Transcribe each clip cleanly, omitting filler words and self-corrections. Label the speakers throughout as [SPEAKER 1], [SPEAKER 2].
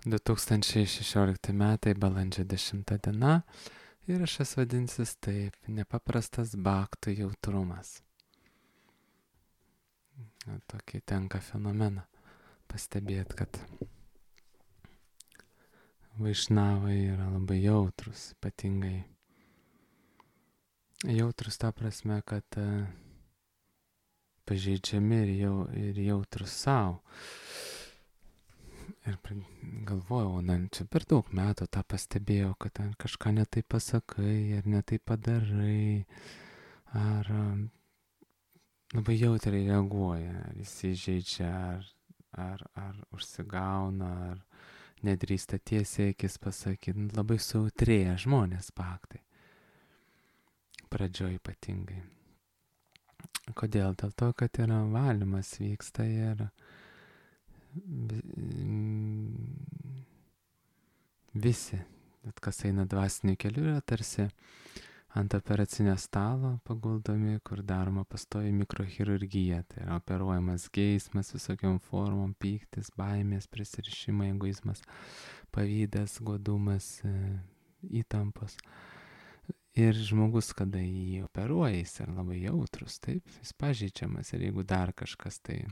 [SPEAKER 1] 2016 metai, balandžio 10 diena. Įrašas vadinsis taip: nepaprastas baktų jautrumas. Tokį tenka fenomeną pastebėti, kad vaišnavai yra labai jautrus, ypatingai jautrus ta prasme, kad pažeidžiami ir jautrus savo. Ir galvojau, čia per daug metų tą pastebėjau, kad kažką netai pasakai, ar netai padarai, ar labai jautriai reaguoja, ar įsižeidžia, ar užsigauna, ar nedrįsta tiesiai akis pasakyti. Labai sautrėja žmonės baktai. Pradžioj ypatingai. Kodėl? Dėl to, kad yra valymas vyksta ir visi, bet kas eina dvasiniu keliu, yra tarsi ant operacinio stalo paguldomi, kur daroma pastovi mikrochirurgija. Tai yra operuojamas geismas visokiom formom, pyktis, baimės, prisirišimai, egoizmas, pavydas, godumas, įtampos. Ir žmogus, kada jį operuoja, jis yra labai jautrus, taip, jis pažeidžiamas. Ir jeigu dar kažkas tai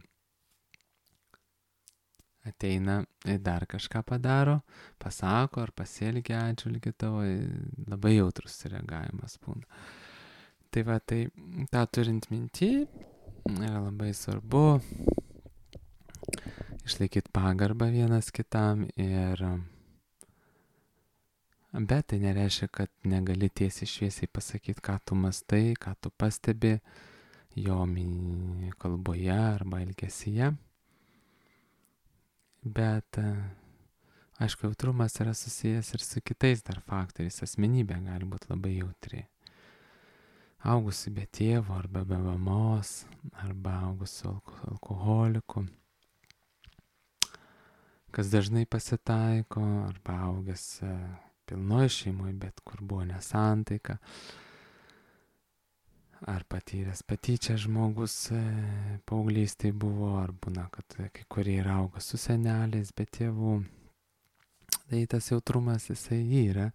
[SPEAKER 1] ateina ir dar kažką padaro, pasako ar pasielgia atžvilgiu tavo, labai jautrus reagavimas būna. Tai va, tai tą turint minty, yra labai svarbu išlaikyti pagarbą vienas kitam bet tai nereiškia, kad negali tiesiai šviesiai pasakyti, ką tu mastai, ką tu pastebi jo kalboje arba elgesyje. Bet, aišku, jautrumas yra susijęs ir su kitais dar faktoriais. Asmenybė gali būti labai jautri. Augusi be tėvo arba be mamos, arba augusi alkoholiku, kas dažnai pasitaiko, arba augęs pilnoj šeimoje, bet kur buvo nesantaika, ar patyręs patyčią žmogus paauglystėje buvo, ar būna, kad kai kurie yra auga su seneliais, be tėvų. Tai tas jautrumas jisai yra,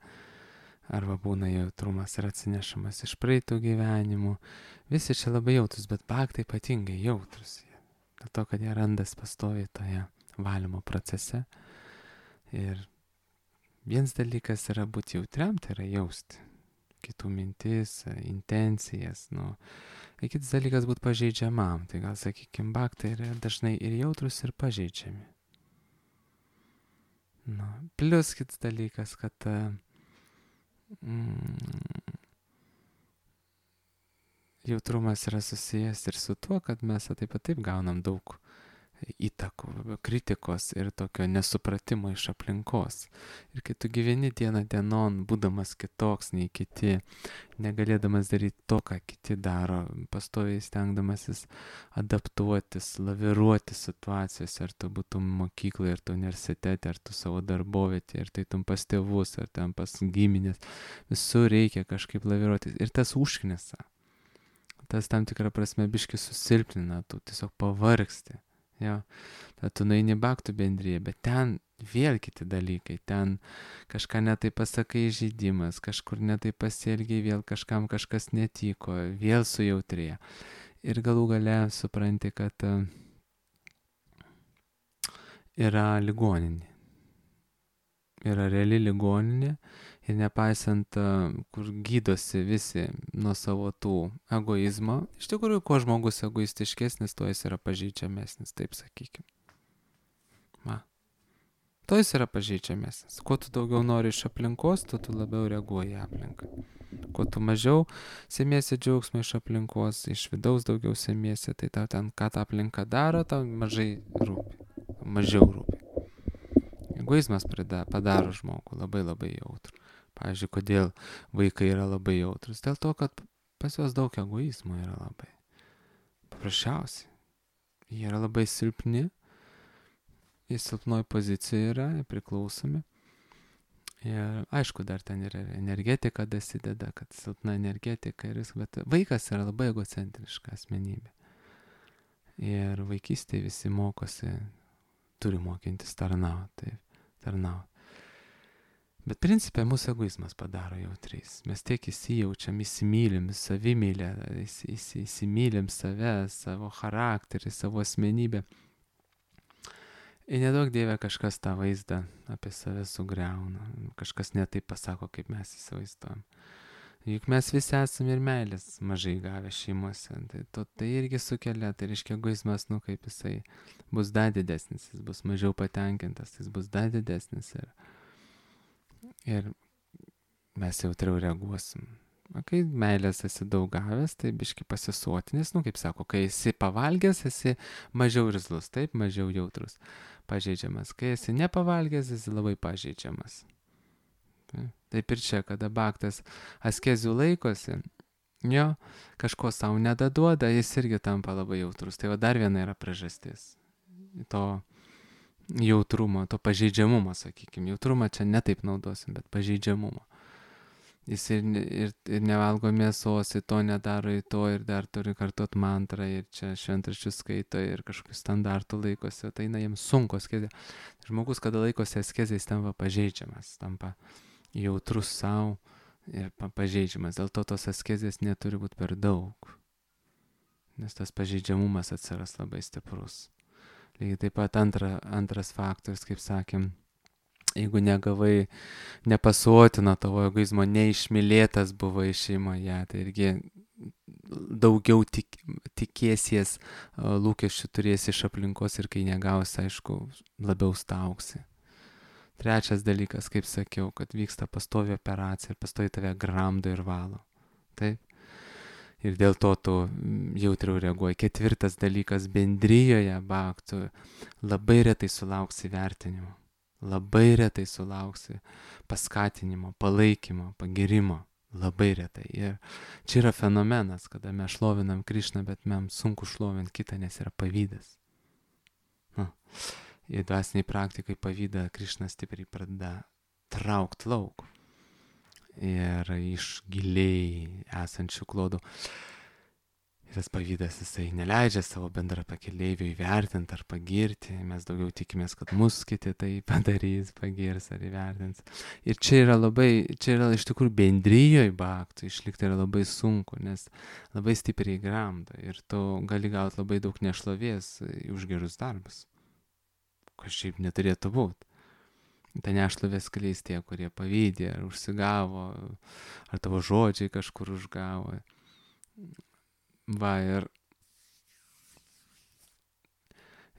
[SPEAKER 1] arba būna jautrumas ir atsinešamas iš praeitų gyvenimų. Visi čia labai jautrus, bet baktai ypatingai jautrus. Dėl to, kad jie randas pastoviai toje valymo procese. Ir vienas dalykas yra būti jautriam, tai yra jausti kitų mintis, intencijas. Kitas dalykas būti pažeidžiamam. Tai gal, sakykime, baktai yra dažnai ir jautrus, ir pažeidžiami. Plius kitas dalykas, kad jautrumas yra susijęs ir su tuo, kad mes taip gaunam daug įtakų, kritikos ir tokio nesupratimo iš aplinkos. Ir kai tu gyveni dieną dienon, būdamas kitoks nei kiti, negalėdamas daryti to, ką kiti daro, pastoviai stengdamasis adaptuotis, laviruoti situacijose, ar tu būtum mokykloje, ar tu universitete, ar tu savo darbovietėje, ar tai tu pas tėvus, ar ten pas giminės, visur reikia kažkaip laviruoti. Ir tas užknisa. Tas tam tikrą prasme biškį susilpnina, tu tiesiog pavargsti. Jo, tad tu nueini baktų bendryje, bet ten vėl kiti dalykai, ten kažką netai pasakai, žaidimas, kažkur netai pasielgiai, vėl kažkam kažkas netiko, vėl sujautrėja. Ir galų gale supranti, kad yra ligoninė. Yra reali ligoninė ir nepaisant, kur gydosi visi nuo savo tų egoizmo, iš tikrųjų, kuo žmogus egoistiškesnis, tuo jis yra pažeidžiamesnis, taip sakykime. Tuo jis yra pažeidžiamesnis. Kuo tu daugiau nori iš aplinkos, tu labiau reaguoji į aplinką. Kuo tu mažiau semiesi džiaugsmą iš aplinkos, iš vidaus daugiau semiesi, tai tau ten, ką ta aplinka daro, tau mažiau rūpi. Egoizmas padaro žmogų labai labai jautrų. Pavyzdžiui, kodėl vaikai yra labai jautrus? Dėl to, kad pas juos daug egoizmo yra labai. Paprasčiausiai. Jie yra labai silpni, jie silpnoj pozicijoje yra, priklausomi. Ir aišku, dar ten yra energetika dasideda, kad silpna energetika ir viskas, bet vaikas yra labai egocentriška asmenybė. Ir vaikystėje visi mokosi, turi mokintis tarnauti. tarnauti. Bet principė mūsų egoizmas padaro jautriais. Mes tiek įsijaučiam, įsimylim savimylę, įsimylim save, savo charakterį, savo asmenybę. Ir nedaug Dieve kažkas tą vaizdą apie save sugriauna. Kažkas netaip pasako, kaip mes įsivaizduojam. Juk mes visi esame ir meilės mažai gavę šeimose. Tai irgi sukelia, tai reiškia egoizmas, kaip jisai bus dar didesnis, jis bus mažiau patenkintas, jis bus dar didesnis. Ir mes jautriau reaguosim. Kai meilės esi daug gavęs, tai biški pasisotinis, kaip sako, kai esi pavalgęs, esi mažiau irzlus, taip, mažiau jautrus, pažeidžiamas. Kai esi nepavalgęs, esi labai pažeidžiamas. Taip ir čia, kada baktas askezių laikosi, jo, kažko savo nedaduoda, jis irgi tampa labai jautrus. Tai dar viena yra priežastis to jautrumo, to pažeidžiamumo, sakykime. Jautrumą čia netaip naudosim, bet pažeidžiamumo. Jis ir nevalgo mėsos, į to nedaro, į to ir dar turi kartuot mantrą ir čia šventraščius skaito ir kažkokių standartų laikosi, tai jiems sunku askezė. Žmogus, kada laikosi askezė, jis tampa pažeidžiamas, tampa jautrus savo ir pažeidžiamas. Dėl to tos askezės neturi būti per daug, nes tas pažeidžiamumas atsiras labai stiprus. Lygiai taip pat antras faktorius, kaip sakėm, jeigu negavai, nepasuotino tavo egoizmo, neišmylėtas buvai šeimoje, tai irgi daugiau tikėsies, lūkesčių turėsi iš aplinkos ir kai negausi, aišku, labiau stauksi. Trečias dalykas, kaip sakiau, kad vyksta pastovi operacija ir pastovi tave gramdo ir valo. Taip? Ir dėl to tu jautriau reaguoji. Ketvirtas dalykas, bendrijoje baktų labai retai sulauksi vertinimo. Labai retai sulauksi paskatinimo, palaikymo, pagirimo. Labai retai. Ir čia yra fenomenas, kada mes šlovinam Krišną, bet mums sunku šlovinti kitą, nes yra pavydas. Ir dvasiniai praktikai pavydą Krišna stipriai pradeda traukti lauk. Ir iš giliai esančių klodų. Ir tas pavydas, jisai neleidžia savo bendrą pakeleivių įvertinti ar pagirti. Mes daugiau tikimės, kad mus kiti tai padarys, pagirs ar įvertins. Ir čia yra iš tikrųjų bendrijoje baktų išlikti yra labai sunku, nes labai stipriai gramdo. Ir tu gali gauti labai daug nešlovės už gerus darbus. Kas šiaip neturėtų būti. Ta nešlovė skleis tie, kurie pavydė, ar užsigavo, ar tavo žodžiai kažkur užgavo. Va, ir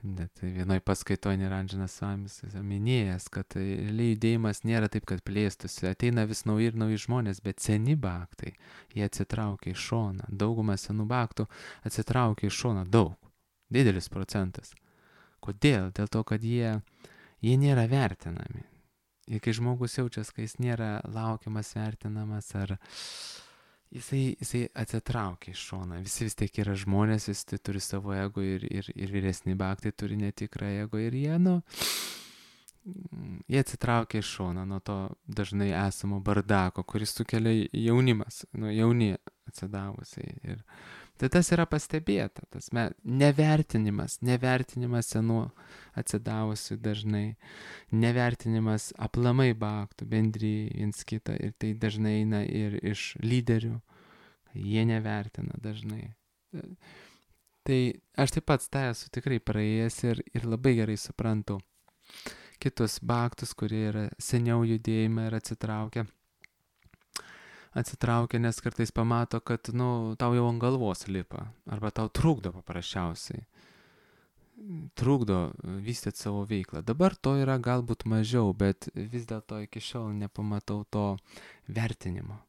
[SPEAKER 1] net vienoj paskaitoje Niranžanas Svamis minėjęs, kad realiai judėjimas nėra taip, kad plėstųsi. Ateina vis nauji ir nauji žmonės, bet seni baktai, jie atsitraukia į šoną. Dauguma senų baktų atsitraukia į šoną daug. Didelis procentas. Kodėl? Dėl to, kad jie nėra vertinami. Ir kai žmogus jaučiasi, kai jis nėra laukiamas, vertinamas, ar jisai atsitraukia iš šoną. Visi vis tiek yra žmonės, visi turi savo ego ir vyresni baktai turi netikrą ego ir jie atsitraukia iš šoną nuo to dažnai esamo bardako, kuris sukelia jaunimas, jauni atsidavusiai. Ir tai tas yra pastebėta, tas nevertinimas senų atsidavusių dažnai, nevertinimas aplamai baktų, bendrijai viens kitą, ir tai dažnai eina ir iš lyderių, jie nevertina dažnai. Tai aš taip pat tą esu tikrai praėjęs ir labai gerai suprantu kitus baktus, kurie yra seniau judėjime ir atsitraukia, nes kartais pamato, kad tau jau ant galvos lipa, arba tau trukdo paprasčiausiai. Trukdo vystyti savo veiklą. Dabar to yra galbūt mažiau, bet vis dėlto iki šiol nepamatau to vertinimo.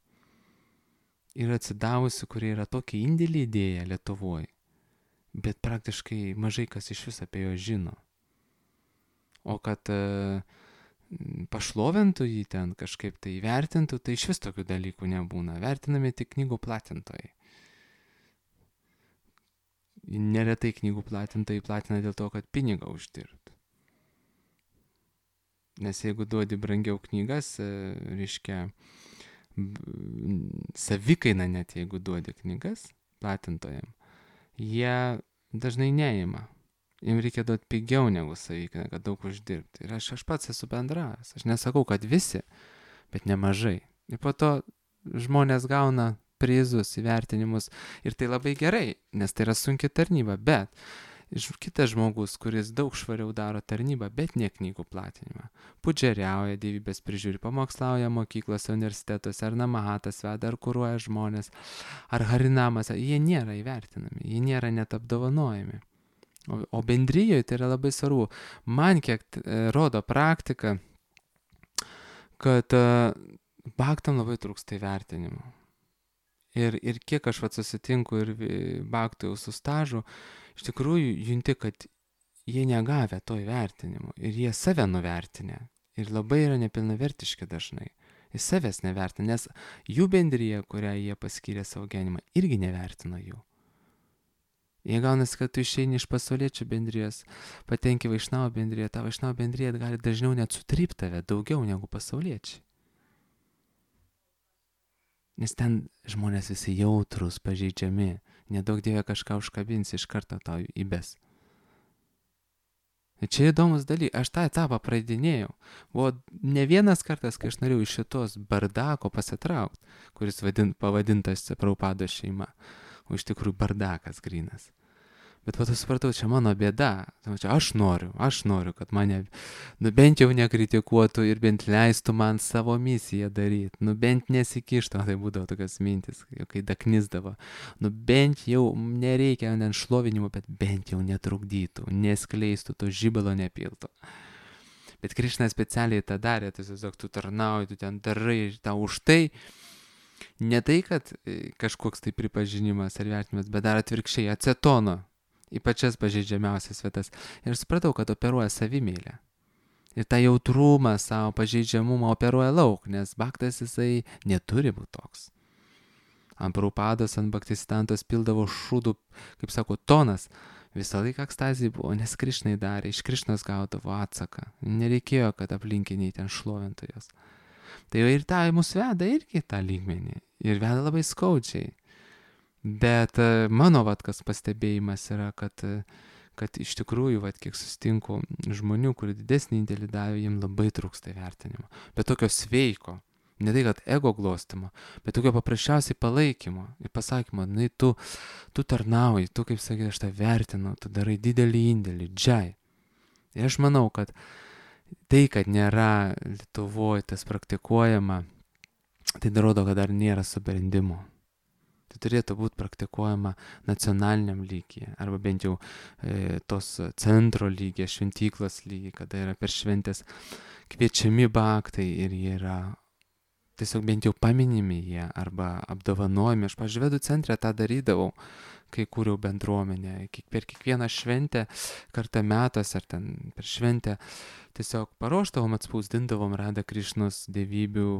[SPEAKER 1] Yra atsidavusių, kurie yra tokį indėlį įdėję Lietuvoje, bet praktiškai mažai kas iš vis apie jo žino. O kad pašlovintų jį ten kažkaip tai vertintų, tai iš vis tokių dalykų nebūna. Vertinami tik knygų platintojai. Neretai knygų platintojai platina dėl to, kad pinigą uždirbtų. Nes jeigu duodi brangiau knygas, reiškia, savikaina net jeigu duodi knygas platintojam, jie dažnai neima. Jiems reikia duoti pigiau negu savikainą, kad daug uždirbti. Ir aš pats esu bendravęs. Aš nesakau, kad visi, bet nemažai. Ir po to žmonės gauna prizus, įvertinimus. Ir tai labai gerai, nes tai yra sunki tarnyba. Bet kitas žmogus, kuris daug švariau daro tarnybą, bet ne knygų platinimą. Pudžeriauja, dievybės prižiūri, pamokslauja mokyklose, universitetuose, ar namahatas veda, ar kuruoja žmonės, ar harinamas. Jie nėra įvertinami, jie nėra net apdovanojami. O bendrijoje tai yra labai svarbu. Man kiek rodo praktika, kad baktam labai trūksta įvertinimo. Ir kiek aš susitinku ir baktų jau su stažu, iš tikrųjų junti, kad jie negavę to įvertinimo. Ir jie save nuvertinę. Ir labai yra nepilnavertiški dažnai. Jis savęs nevertina, nes jų bendryje, kurią jie paskyrė savo gyvenimą, irgi nevertina jų. Jie gaunasi, kad tu išeini iš pasauliečių bendrijos, patenki Vaišnavo bendriją, ta Vaišnavo bendrija gali dažniau net sutrypti tave daugiau negu pasauliečiai. Nes ten žmonės visi jautrus, pažeidžiami, nedaug dievė kažką užkabins, iš karto tau įbes. Ir čia įdomus dalykas, aš tą etapą praeidinėjau. Buvo ne vienas kartas, kai aš norėjau iš šitos bardako pasitraukti, kuris pavadintas Prabhupados šeima, o iš tikrųjų bardakas grynas. Bet po to supratau, čia mano bėda. Čia aš noriu, kad mane bent jau nekritikuotų ir bent leistų man savo misiją daryti. Bent nesikištų, tai būdavo tokios mintis, kai daknisdavo. Bent jau nereikia šlovinimo, bet bent jau netrukdytų, neskleistų, to žibalo nepiltų. Bet Krišna specialiai tą darė, tiesiog tu tarnauji, tu ten darai, tau už tai. Ne tai, kad kažkoks tai pripažinimas ar vertinimas, bet dar atvirkščiai acetono į pačias pažeidžiamiausias vietas. Ir supratau, kad operuoja savimeilę. Ir tą jautrumą savo pažeidžiamumą operuoja lauk, nes baktas jisai neturi būti toks. Ant Prabhupados, ant Bhaktisiddhantos pildavo šūdų, kaip sako, tonas. Visą laiką ekstazija buvo, nes Krišnai darė, iš Krišnos gaudavo atsaką. Nereikėjo, kad aplinkiniai ten šlovintų jos. Tai ir tai mus veda irgi tą lygmenį. Ir veda labai skaudžiai. Bet mano kas pastebėjimas yra, kad iš tikrųjų, kiek susitinku žmonių, kurie didesnį indėlį davė, jiems labai trūksta įvertinimo. Bet tokio sveiko, ne tai, kad ego glostimo, bet tokio paprasčiausiai palaikymo ir pasakymo, tu tarnauji, tu, kaip sakai, aš tą vertinu, tu darai didelį indėlį, džai. Ir aš manau, kad tai, kad nėra Lietuvoje tas praktikuojama, tai rodo, kad dar nėra subrendimo. Tai turėtų būti praktikuojama nacionaliniam lygyje, arba bent jau tos centro lygyje, šventyklos lygyje, kada yra per šventės kviečiami baktai ir jie yra tiesiog bent jau paminimi jie arba apdovanojami. Aš, pavyzdžiui, Vedų centre tą darydavau, kai kūriau bendruomenę. Per kiekvieną šventę, kartą metuose ar ten per šventę, tiesiog paruošdavom, atspausdindavom Radha Krišnos dievybių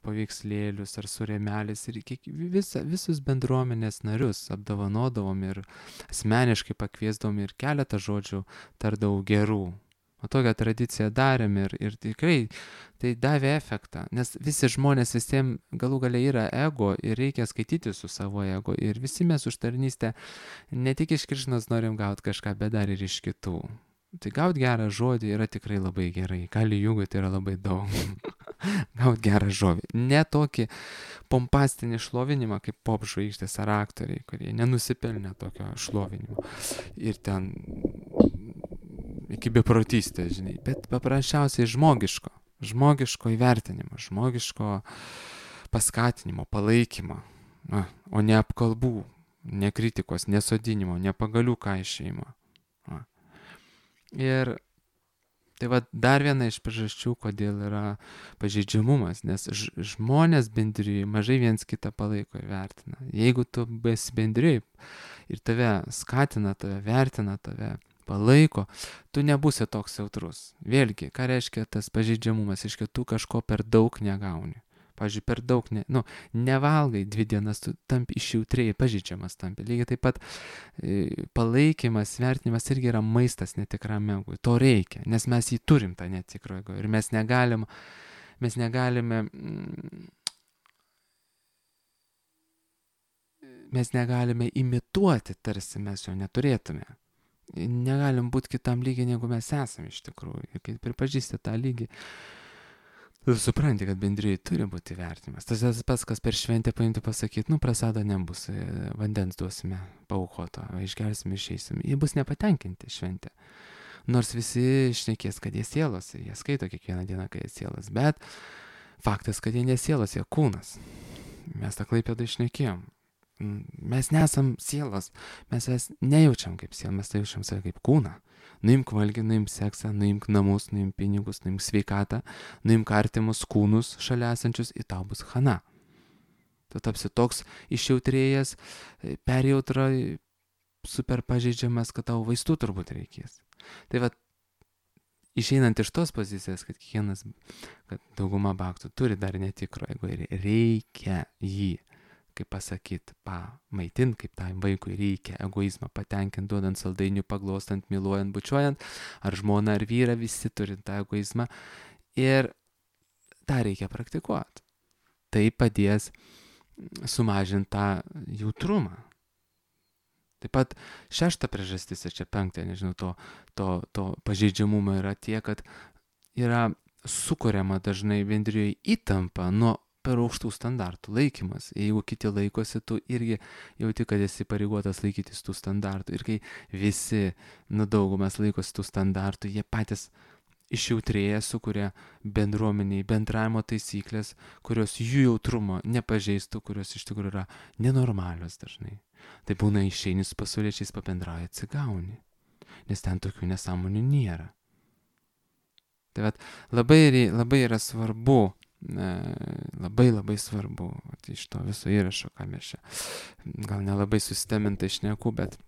[SPEAKER 1] paveikslėlius ar su rėmelis ir visus bendruomenės narius apdovanodavom ir asmeniškai pakviesdavom ir keletą žodžių tardavau gerų. O tokią tradiciją darėm ir tikrai tai davė efektą, nes visi žmonės visiems galų gale yra ego ir reikia skaityti su savo ego ir visi mes už tarnystę ne tik iš Krišnos norim gauti kažką, bet dar ir iš kitų. Tai gauti gerą žodį yra tikrai labai gerai, Kali Jugoj tai yra labai daug. Gauti gerą žodį, ne tokį pompastinį šlovinimą kaip pop žvaigždės ar aktoriai, kurie nenusipelnė tokio šlovinimo. Ir ten iki beprotystės, žinai, bet paprasčiausiai žmogiško įvertinimo, žmogiško paskatinimo, palaikymo, o ne apkalbų, ne kritikos, nesodinimo, ne pagalių kaišėjimo. Ir tai dar viena iš priežasčių, kodėl yra pažeidžiamumas, nes žmonės bendrijai mažai viens kitą palaiko ir vertina. Jeigu tu esi bendrijai ir tave skatina, tave vertina, tave palaiko, tu nebūsi toks jautrus. Vėlgi, ką reiškia tas pažeidžiamumas? Reiškia, tu kažko per daug negauni. Pavyzdžiui, per daug nevalgai 2 dienas, tu tampi išjautriai, pažeidžiamas tampi. Lygiai taip pat palaikymas, vertinimas irgi yra maistas netikram egui. To reikia, nes mes jį turim tą netikro ego ir mes negalime imituoti, tarsi mes jo neturėtume. negalim būti kitam lygiai, negu mes esame iš tikrųjų. Ir kai pripažįsti tą lygį, tu supranti, kad bendrijai turi būti vertinimas. Tas pats, kas per šventę paimti pasakyti, prasado nebus, vandens duosime paukoto, išgersime, išeisim. Jie bus nepatenkinti šventę. Nors visi šnekės, kad jie sielos, jie skaito kiekvieną dieną, kad jie sielos, bet faktas, kad jie nesielos, jie kūnas. Mes tą Klaipėdą išnekėjom. Mes nesam sielos, mes nejaučiam kaip sielą, mes jaučiam save kaip kūną. Nuimk valgį, nuimk seksą, nuimk namus, nuimk pinigus, nuimk sveikatą, nuimk artimus kūnus šalia esančius, ir tau bus chana. Tu tapsi toks išjautrėjęs, perjautra, super pažeidžiamas, kad tau vaistų turbūt reikės. Tai va, išeinant iš tos pozicijos, kad kiekvienas, kad dauguma baktų turi dar netikro ego ir reikia jį, kaip pasakyti, pamaitinti, kaip tam vaikui reikia egoizmą patenkinti, duodant saldainių, paglostant, myluojant, bučiuojant, ar žmoną, ar vyrą, visi turi tą egoizmą ir tą reikia praktikuoti. Tai padės sumažinti tą jautrumą. Taip pat šešta priežastis, čia penktą, nežinau, to pažeidžiamumo yra tie, kad yra sukuriama dažnai bendrijoje įtampa nuo per aukštų standartų laikymas. Jeigu kiti laikosi, tu irgi jauti, kad esi pareigotas laikytis tų standartų. Ir kai visi, daugumas laikosi tų standartų, jie patys išjautrėję sukuria bendruomeniai bendravimo taisyklės, kurios jų jautrumo nepažeistų, kurios iš tikrųjų yra nenormalios dažnai. Tai būna išeini su pasauliečiais pabendrauja, atsigauni, nes ten tokių nesąmonių nėra. Tai labai yra svarbu, labai svarbu, iš to viso įrašo, ką mes čia gal nelabai susistemintai šneku, bet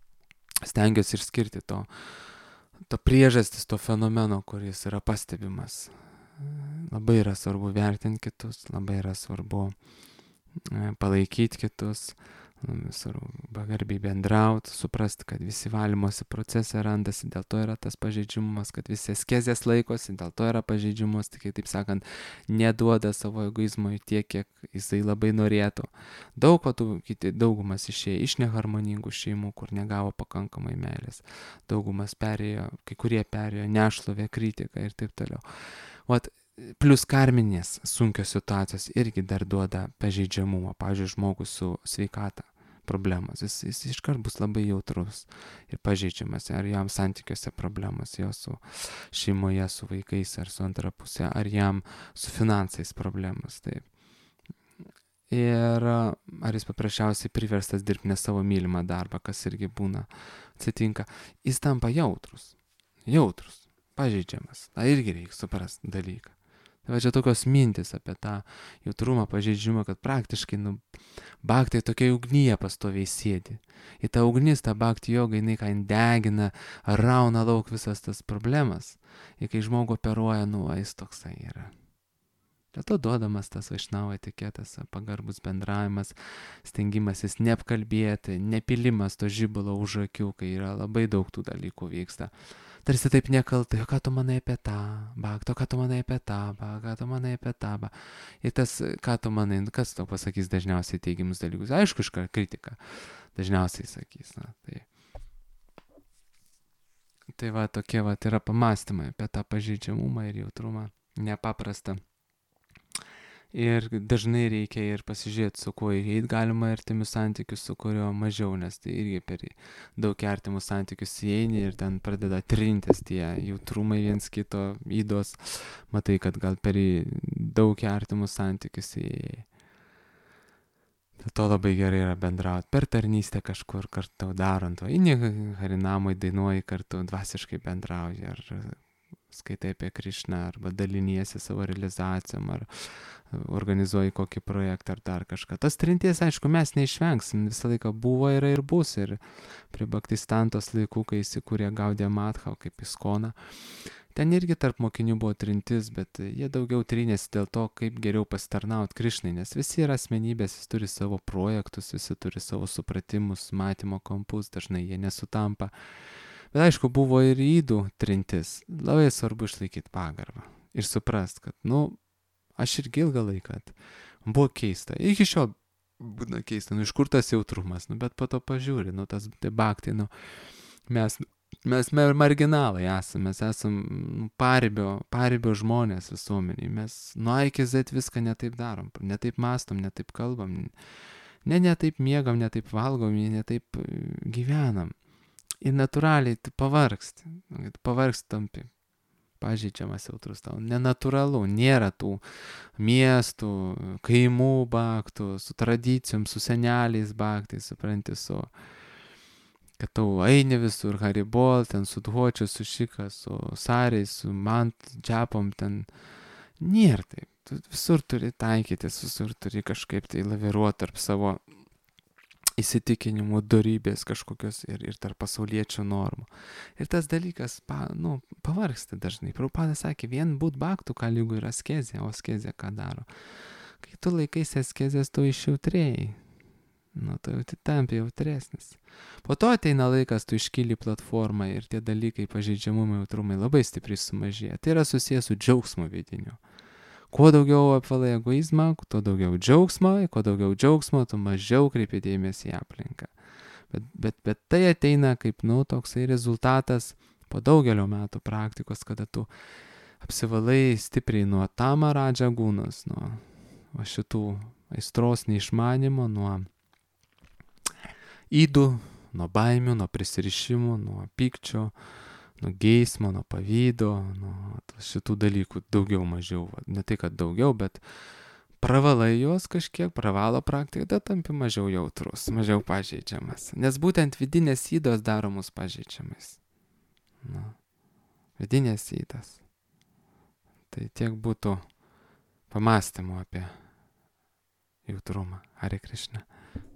[SPEAKER 1] stengiuosi išskirti to priežastis, to fenomeno, kuris yra pastebimas. Labai yra svarbu vertinti kitus, labai yra svarbu palaikyti kitus, pagarbiai bendrauti, suprasti, kad visi valymosi procesai randasi, dėl to yra tas pažeidžiamumas, kad visi askezės laikosi, dėl to yra pažeidžiamumas, tik taip sakant, neduoda savo egoizmui tiek, kiek jisai labai norėtų. Daugumas išėjo iš neharmoningų šeimų, kur negavo pakankamai meilės. Daugumas perėjo, kai kurie perėjo nešlovę, kritiką ir taip toliau. Plius karminės sunkios situacijos irgi dar duoda pažeidžiamumą. Pavyzdžiui, žmogus su sveikata problemos, jis iškart bus labai jautrus ir pažeidžiamas, ar jam santykiuose problemos, jo su šeimoje, su vaikais, ar su antra pusė, ar jam su finansais problemos. Taip. Ir ar jis paprasčiausiai priverstas dirbti ne savo mylimą darbą, kas irgi būna, atsitinka, jis tampa jautrus, pažeidžiamas. Tai irgi reikia suprasti dalyką. Tai čia tokios mintis apie tą jautrumą, pažeidžiamą, kad praktiškai bhaktai tokia ugnyje pastoviai sėdi. Į tą ugnis, tą bhakti jogą, jinai ką degina, rauna lauk visas tas problemas. Ir kai žmogų operuoja, jis toksai yra. Dėl to duodamas tas vaišnavo etiketas, pagarbus bendravimas, stengimasis neapkalbėti, nepilimas to žibalo už akių, kai yra labai daug tų dalykų vyksta. Tarsi taip nekaltai, o ką tu manai apie tą bhaktą, o ką tu manai apie tą bhaktą, ką tu manai apie tą bhaktą. Ir tas, ką tu manai, kas tau pasakys dažniausiai teigiamus dalykus. Aišku, kritika dažniausiai sakys. Tai tokie yra pamastymai apie tą pažeidžiamumą ir jautrumą nepaprastą. Ir dažnai reikia ir pasižiūrėti, su kuo įeit galima artimius santykius, su kurio mažiau, nes tai irgi per daug artimus santykius įeini ir ten pradeda trintis tie jautrumai viens kito įdos. Matai, kad gal per daug artimus santykius įėjai. Dėl to labai gerai yra bendrauti per tarnystę kažkur kartu darant, o įni harinamai dainuoji kartu, dvasiškai bendrauji, ar skaitai apie Krišną, arba daliniesi savo realizacijom, ar organizuoji kokį projektą ar dar kažką. Tas trinties, aišku, mes neišvengsim, visą laiką buvo, yra ir bus. Ir prie Bhaktistantos laikų, kai įsikūrė Gaudija Madha, kaip Iskona, ten irgi tarp mokinių buvo trintis, bet jie daugiau trinėsi dėl to, kaip geriau pasitarnauti Krišnai, nes visi yra asmenybės, visi turi savo projektus, visi turi savo supratimus, matymo kampus, dažnai jie nesutampa. Bet aišku, buvo ir įdų trintis. Labai svarbu išlaikyti pagarbą ir suprast, kad, aš irgi ilgą laiką buvo keista. Iki šiol būna keista, iš kur tas jautrumas, bet po to pažiūri, tas bhakti, mes Mes marginalai esame, mes esame paribio žmonės visuomeniai. Mes nuo A iki Z viską netaip darom, netaip mastom, netaip kalbam, netaip miegam, netaip valgom, netaip gyvenam. Ir natūraliai tu pavargsti tampi pažeidžiamas jautrus tau. Nenatūralu, nėra tų miestų, kaimų baktų, su tradicijom, su seneliais baktais, supranti, kad tau eini visur, haribol, ten su dvočiu, su šika, su sariais, su mant, džiapom, ten nėra taip. Tu visur turi taikytis, visur turi kažkaip tai laviruoti tarp savo įsitikinimų, dorybės kažkokios ir tarp pasauliečių normų. Ir tas dalykas, pavargsta dažnai. Prabhupada sakė, vien būt baktų kalygų yra askezė, o askezė ką daro? Kai tu laikaisi askezės, tu išjautrėjai. Tu jau tampi jautresnis. Po to ateina laikas, tu iškyli platformą ir tie dalykai, pažeidžiamumai, jautrumai labai stipriai sumažėja. Tai yra susijęs su džiaugsmo vidiniu. Kuo daugiau apvalai egoizmą, tuo daugiau džiaugsmo, kuo daugiau džiaugsmo, tu mažiau kreipi dėmesį į aplinką. Bet tai ateina kaip, toksai rezultatas po daugelio metų praktikos, kada tu apsivalai stipriai nuo tamaradža gūnos, nuo šitų aistros neišmanimo, nuo įdų, nuo baimių, nuo prisirišimų, nuo pykčio, nuo geismo, nuo pavydo, nuo šitų dalykų daugiau mažiau. Ne tai, kad daugiau, bet pravalai juos kažkiek, pravalo praktiką, tada tampi mažiau jautrus, mažiau pažeidžiamas. Nes būtent vidinės įdos daro mus pažeidžiamais. Vidinės įdos. Tai tiek būtų pamastymų apie jautrumą. Hare Krishna.